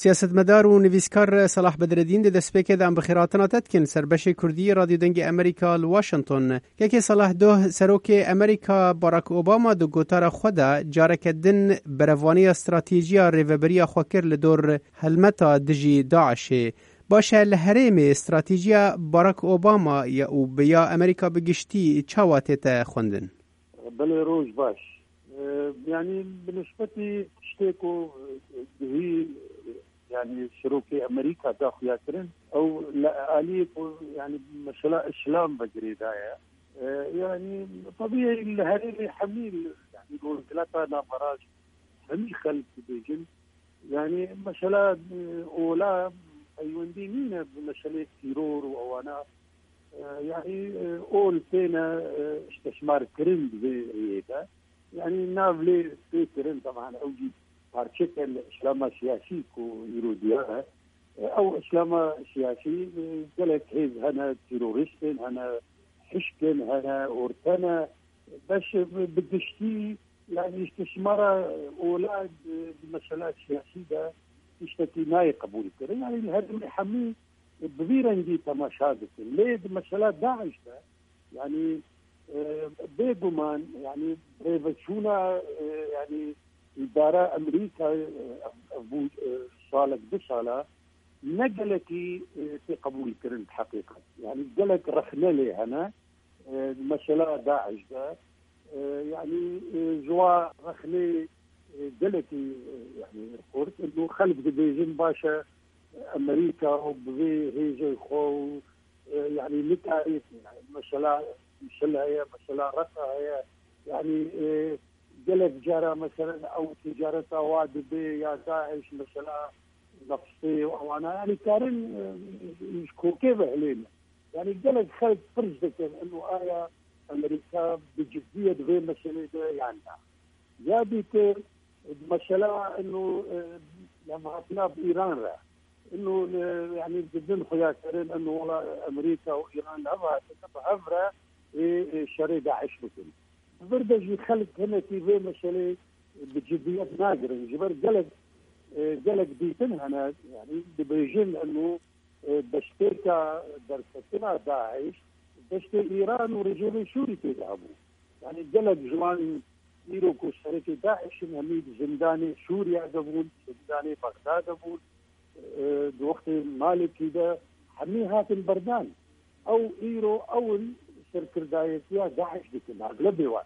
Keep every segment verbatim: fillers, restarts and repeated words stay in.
Siyasetmedar û nivîskar Salah Bedreddîn, di destpêkê de em bi xêrhatina te dikin ser beşê Kurdî Radyo Dengê Amerîka li Washington. Kekê Salah, doh serokê Amerîka Barack Obama di gotara xwe de careke din berevaniya stratejî ya rêveberiya xwe kir li dor helmeta dijî DAIŞ'ê. Baş e, li herêmê stratejîya Barack Obama ya û bi ya Amerîka bi giştî çawa tête xwendin? Belê, roj baş. E, yanî bi nisbetî tiştê ku, e, gihî, yanî serokê Amerîka da xuya kirin, ew li aliyê ku, yanî mesela îslam ve girêdaye. E, yanî tebî li herêmê hemî, yanî rojhilata navbera hemî xelk dibêjin. Yanî mesela, e, ola peywendî nîne bi meselê tîror û ewana. E, yanî, e, ol têne, e, îstîsmar kirin di vê rêyê de. Yanî nav lê tê kirin, teban ew jî parçeke li îslama siyasî ku îro diyar e. E, ew îslama siyasî, e, gelek hêz hene, terorîst in hene, hişk in hene, orte ne. Beş, e, bi giştî, yanî îstîsmara ola di, di mesela siyasî de tiştekî nayê qebûl kirin. Yanî li herêmê hemî bi vî rengî temaşa dikin. Lê di mesela DAIŞ de, yanî, e, bêguman, yanî rêveçûna, e, yanî îdara Amerîka, e, ev, ev bû, e, salek, du sala, ne gelekî, e, tê qebûl kirin di heqîqet. Yanî gelek rexne lê hene, e, mesela DAIŞ de, e, yanî, e, ji wa rexnê, e, gelekî, e, yanî xurt. Û xelk dibêjin, baş e, Amerîka û bi vê hêzê xwe û, e, yanî nikarî, mesela Mûsil heye, mesela Reka heye, yanî, e, gelek cara mesela ew ticareta wa dibe ya DAIŞ mesela neftê û ewana, yanî karin, e, ji kokê ve hilêne. Yanî gelek xelk pirs dikin, ino aya Amerîka bi ciddiyet vê meselê de yan na. Ya dîtir, mesela ino, e, levhatina bi Îran re. Ino, e, yanî didin xuya kirin, ino wela Amerîka û Îran hev hatine bi hev re ê, ê, şerê DAIŞ bikin. Di vir de jî xelk hinekî vê meselê bi ciddiyet nagirin. Ji ber gelek, e, gelek dîtin hene, yanî dibêjin eno, e, beştêka derketina DAIŞ, beştê Îran û rejîmê Sûrî tê de hebû. Yanî gelek ji wan îro ku serekê DAIŞ in, hemî di zindanê Sûriya de bûn, zindanê Bexda de bûn, e, di wextê Malikî de hemî hatin berdan. Ew îro ew in serkirdayetiya DAIŞ dikin, eglebê wan.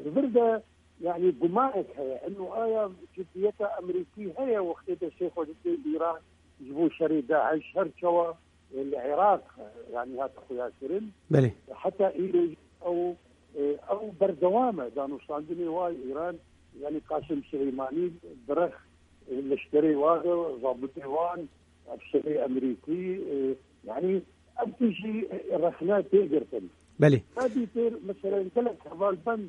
Di vir de, yanî gumanek heye. Eno aya ciddiyeta Amerîkî heye wextê destê xwe dide Îran ji bo şerê DAIŞ, her çawa, e, li Iraq, e, yanî hate xuya kirin. Belê. Heta îro ew, e, ew berdewam e. Danûstandinê wa Îran, yanî Qasim Sileymanî dirêx, e, leşkerê wa de, zabitê wan, efserê Amerîkî, e, yanî ev tişt jî, e, rexne tê girtin. Belê. Ka dîtir, mesela, gelek hevalbend,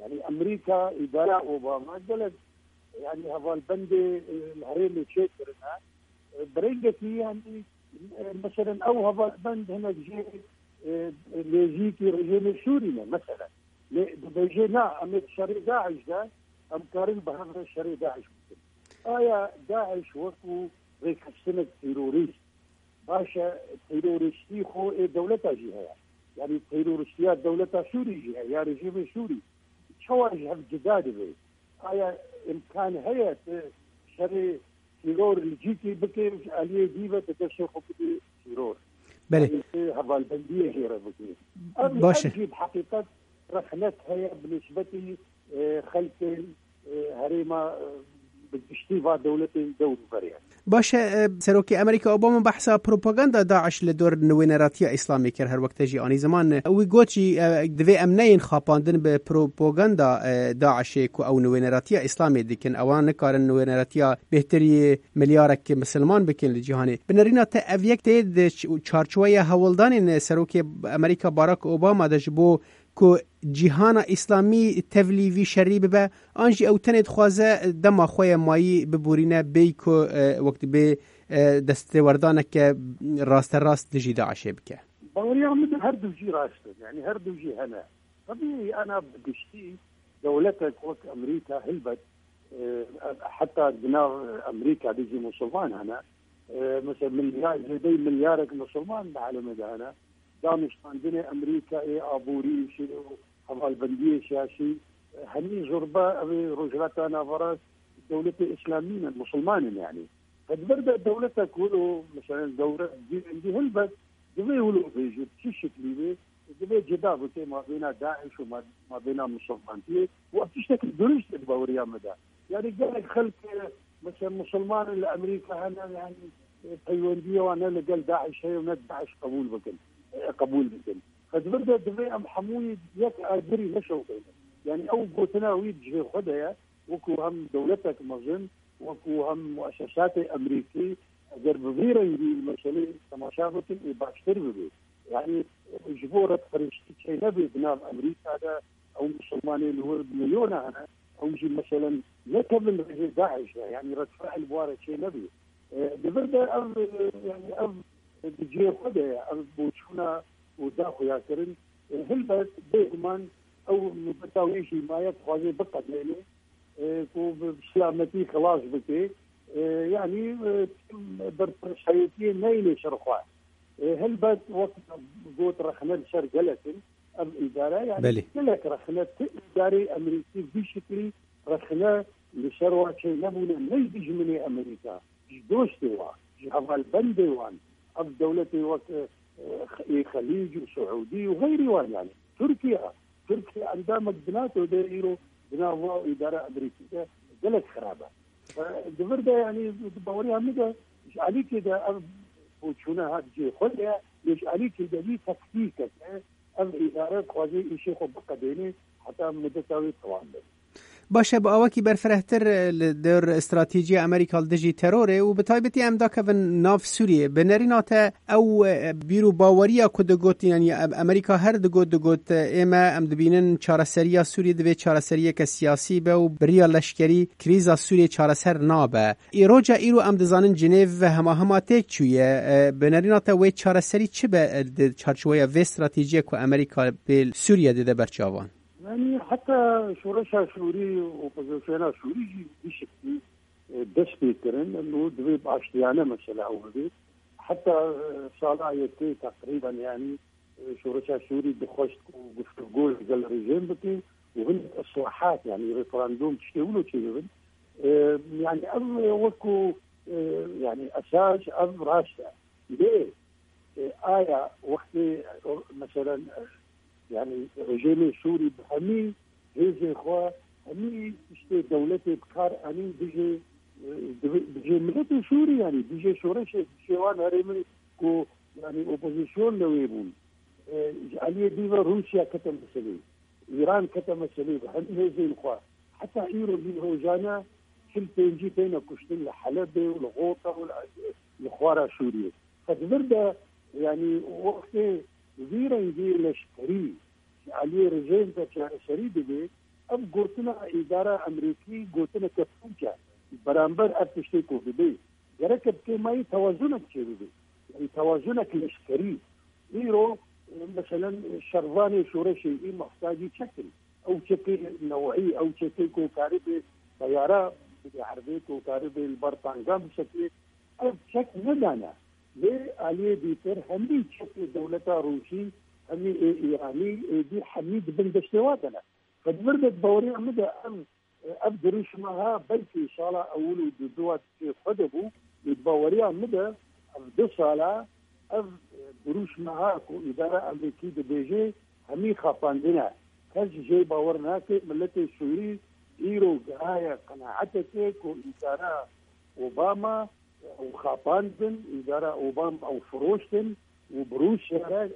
yanî Amerîka, îdara Obama, gelek, yanî hevalbendê, e, li herêmê çêkirine. E, bi rengekî, yanî, e, mesela, ew hevalbend hinek jê, e, nêzîkî rejîmê Sûrî ne, mesela. Lê dibêje, na, em ê şerê DAIŞ de, em karin bi hev re şerê DAIŞ bikin. Aya DAIŞ wekû rêkeftinek terorîst, baş e, terorîstî xwe ê dewleta jî heye. Yanî terorîstiya dewleta Sûrî jî heye, ya rejîmê Sûrî. Çawa ji hev cuda dibe? Aya îmkan heye tu şerê teror li cîkî bike, ji aliyê dî ve tu destê xwe bidî teror? Belê. Yanî tu hevalbendiyê jê re bike. Ev, Baş e. Ev jî bi heqîqet rexnek heye bi nisbetî, e, xelkên, e, herêma, e, bi giştî va dewletên dewrûberê. Baş e, e, Serokê Amerîka Obama behsa propaganda DAIŞ li dor Nûêneratiya Îslamê kir, her wek te jî anî ziman. Wî got jî, e, divê em neyên xapandin bi propaganda, e, DAIŞê ku ew Nûêneratiya Îslamê dikin. Ewan nikarin nûêneratiya bêhtirî milyarek misilman bikin li cîhanê. Bi nerîna te ev yek tê di ç-, çarçoweya hewldanên Serokê Amerîka Barack Obama de ji bo ku cîhana Îslamî tevlî vî şerî bibe, an jî ew tenê dixwaze dema xwe ye mayî biborîne, bêyî ku, e, wek dibê, e, destêwerdaneke rasterast dijî DAIŞê bike? Baweriya min de her du jî rast in, yanî her du jî hene. Tebî ana bi giştî dewletek wek Amerîka, helbet, E, heta di nav Amerîka de jî Musulman hene. E, mesela milyar, zêdeyî milyarek Musulman di alemê de hene. Danûstandinê Amerîkayê, aborî, şi-, hevalbendiyê siyasî, e, hemî zurba ev ê Rojhilata Naverast dewletê Îslamî ne, Musulman in yanî. Qet vir de dewletek wilo, mesela dewlet girîngî hilbet divê wilo bêje, bi çi şiklî bê, divê cida bike mabêna DAIŞ û ma-, mabêna Musulmantiyê û ev tiştekî durust e di baweriya me de. Yanî gelek xelk, e, mesela Musulman in li Amerîka hene, yanî, e, peywendiyê wan ne li gel DAIŞ heye û ne DAIŞ qebûl bikin, e, qebûl bikin. Qet vir de divê em hemûyî yek agirî neşewqînin. Yanî ew gotina wî di cihê xwe de ye, wekû hem dewletek mezin, wekû hem muesesatê Amerîkî, eger bi vî rengî meselê temaşa bikin, ê baştir bibe. Yanî ji bo redperestî çênebe di nav Amerîka de, ew Musulmanê li wir milyona hene, ew jî meselen nekevin rêjê DAIŞ de, yanî redfiil bi wan re çênebe. E, di vir de ev, e, yanî ev di cihê xwe de ye, ev boçûna û da xuyakirin. E, hilbet bêguman ew mudeta wê jî maye dixwaze biqedêne, e, ku bi silametî xilas bike. E, yanî, e, berpirşayetiyê neyne ser xwe. E, helbet wek got rexne li ser gelek in. Ev îdare, yanî Belê. Gelek rexne, ti îdareyê Amerîkî vî şiklî rexne li ser wa çênebûne, ne ji dijminê Amerîka, ji dostê wa, ji hevalbendê wan. Ev dewletê wek, e, e, ê Xelîc û Siûdî û xeyrî wan yanî. Tirkiye, Tirkiye endamek di NATO de îro di nav wa îdara Amerîkî de gelek xirab e. E, di vir de yanî di baweriya min de ji alîkê de ev boçûne hat cihê xwe de ye, lê ji alîkê de vî taktîkek e, ev îdare dixwaze îşê xwe biqedêne heta mudeta wê temam be. Baş e, bi awakî berfirehtir, e, li dor stratejiya Amerîka li dijî terorê û bi taybetî em dakevin nav Sûriyê. Bi nerîna te ew, e, bîr û baweriya ku digot, yanî em-, Amerîka her digot, digot, e, ê me em dibînin çareseriya Sûriyê divê çareseriyeke siyasî be û bi riya leşkerî krîza Sûriyê çareser nabe. Îroca îro em dizanin Cinêv ve hema hema têk çûye. E, bi nerîna te wê çareserî çi be, e, di çarçoweya vê stratejiye ku Amerîka bi Sûriye dide ber çavan? Yanî heta şoreşa Sûrî, opozisyona Sûrî jî bişiktî, e, dest pê kirin. Û divê bi aştiyane mesela ew bibe. Heta, e, sala yekê teqrîben yanî, e, şoreşa Sûrî dixwest ku guftûgo li gel rejîm bike û hinek islahat, yanî referandum, tiştê wilo çêbibin. E, yanî ev wekû, e, yanî esas ev rast e. Lê, e, aya wextê, e, meselen, e, yanî rejîmê Sûrî bi hemî hêzên xwe, hemî tiştê dewletê bi kar anîn dijê, e, dijê miletê Sûrî, yanî dijê şoreşê, dijê wan herêmên ku yanî opozîsyon li wê bûn. E, ji aliyê dî ve Rûsya kete meselê. Îran kete meselê bi hemî hêzên xwe. Heta îro vî rojane çil pêncî têne kuştin li Helebê û li Xota û li, li xwara Sûriyê. Qet vir de, yanî wextê vî rengî leşkerî ji aliyê rejîm ve çareserî dibe, ev gotina îdara Amerîkî gotineke pûç e. Beramber ev tiştê ku dibe, gerek bi kêmayî tewazunek çêbibe. Yanî tewazunek leşkerî. Îro, e, meselen, şervanê şoreşê î mextacî çek in. Ew çekê newî, ew çekê ku karibê teyara bide erdê, ku karibê li ber tankan bisekê, ev çek nedane. Lê aliyê dîtir hemî çekê dewleta Rûsî, hemî ê Îranî, êdî hemî di bin destê wa de ne. Qet vir de di baweriya min de ev, ev dirûşma ha belkî sala ewil û duduwa di cihê xwe de bû, lê di baweriya min de ev du sala ev dirûşma ha ku îdara Amerîkî dibêje hemî xapandin e. Kes jê bawer nake, miletê Sûrî îro gihaye qenaetekê ku îdara Obama ew xapandin, îdara Obama ew firoştin û bi Rûsya re,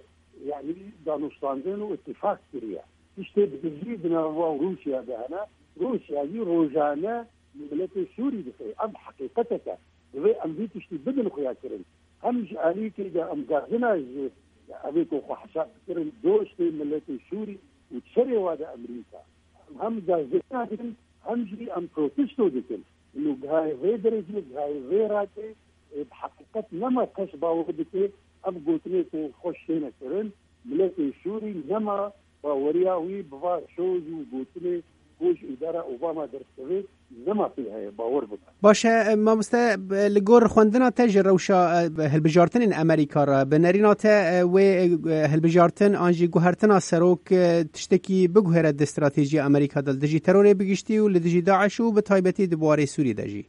yanî danûstandin û îtîfaq kiriye. Tiştê bi gizlî di nava û Rûsya de hene. Rûsya jî rojane miletê Sûrî dixê. Ev heqîqetek e. Divê em vî tiştî bidin xuyakirin. Hem ji alîkê de em gazina ji evê ku xwe hesab dikirin dostê miletê Sûrî û serê wa de Amerîka. Em hem gazina dikin, hem jî em protesto dikin. Û gihayê vê derecê, gihayê vê radê, e, bi heqîqet nema kes bawer dike, ev gotinê ku xweş têne kirin, miletê Sûrî nema baweriya wî bi va soz û gotinê ku ji îdara Obama derdikeve, nema pê heye, bawer bike. Baş e, mamoste, b-, li gor xwendina te ji rewşa, e, hilbijartinên Amerîka re, bi nerîna te, e, wê, e, hilbijartin an jî guhertina serok, e, tiştekî biguhere di stratejiya Amerîka de li dijî terorê bi giştî û li dijî DAIŞ û bi taybetî di warê Sûrî de jî?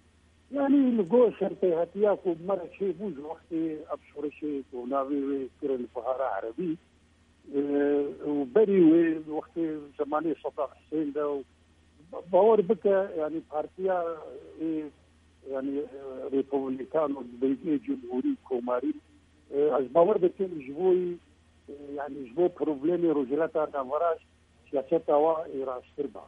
Yanî li gor serpêhatiya ku me re çêbû ji wextê ev şoreşê ku navê wê kirin Bihara Erebî, e, û berî wê wextê zemanê Sedam Husên de û ba-, bawer bike, yanî partiya, e, yanî, e, Republikan û dibêjê Cumhurî, Komarî, e, ez bawer dikim ji bo, e, yanî ji bo problemê Rojhilata Navxweş siyaseta wa ê rasttir ba.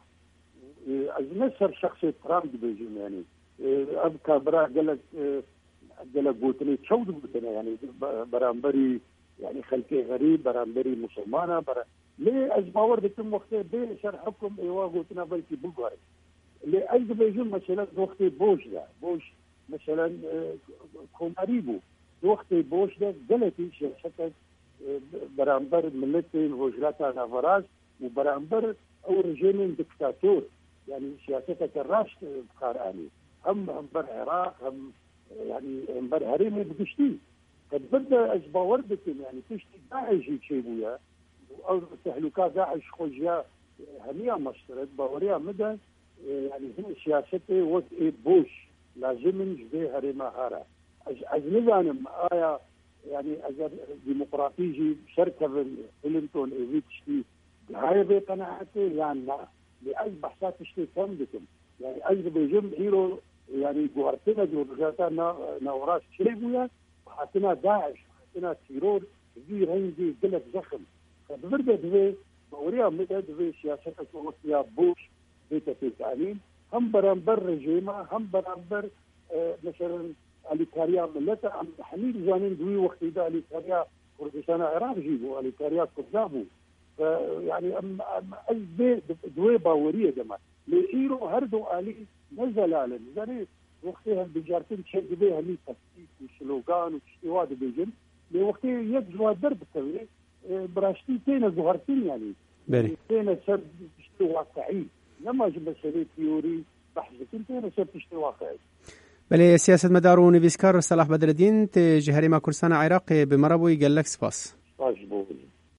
E, ez ne ser şexsê Trump dibêjim, yanî, e, ev ka bira gelek, e, gelek gotinê çew digotine, yanî be-, beramberî, yanî xelkê xerîb, beramberî musulmana, bera-, lê ez bawer dikim wextê bê ser hukm ê wa gotina belkî biguherin. Lê ez dibêjim mesela di wextê Bush de, Bush mesela, e, komarî bû. Di wextê Bush de gelekî siyasetek, e, beramber miletên Rojhilata Navxweş û beramber ew rejîmên diktator, yanî siyaseteke raşt, e, bi kar anî. Hem, hem ber Iraq, hem, e, yanî hem ber herêmê bi giştî. Qet bir de ez bawer dikim, yanî piştî DAIŞ jî çêbûye, û ew tehlûka DAIŞ xwe ji ya hemiya meştiret, baweriya min de, e, yanî hin siyasetê wek ê Bush lazim in ji vê herêma here. Ez, ez nizanim, aya, yanî eger demokratî jî serkevin Clinton ê vî tiştî gihayê vê qenaetê yan na. Lê ez behsa tiştê kevn dikim. Yanî ez dibêjim îro, yanî guhertina Rojhilata Na-, Navxweş çêbûye, hatina DAIŞ, hatina teror, vî rengî gelek zexm. Qet vir de divê, baweriya min de divê siyaseteke wek ya Bush bête pêkanîn. Hem beramber rejîma, hem beramber, e, mesela alîkariya milete, em hemî dizanin di wî wextî de alîkariya Kurdistana Iraq jî bû, alîkariya Kurda bû. Ve, yanî, em, em, ez vê, di, di wê baweriyê de me. Lê îro her du alî ne zelal in. Zanî, wextê hilbijartin çê divê hemî tektîk û slogan û tiştê wa dibêjin. Lê wextê yek ji wa derbikeve, e, bi raştî têne guhertin, yanî. Belê. Têne ser tiştê waqiî. Nema ji meselê teorî behs dikin, têne ser tiştê waqiî. Belê, siyasetmedar û nivîskar Selah Bedreddîn, tê ji Herêma Kurdistana Iraqê, bi me re bûyî, gelek spas.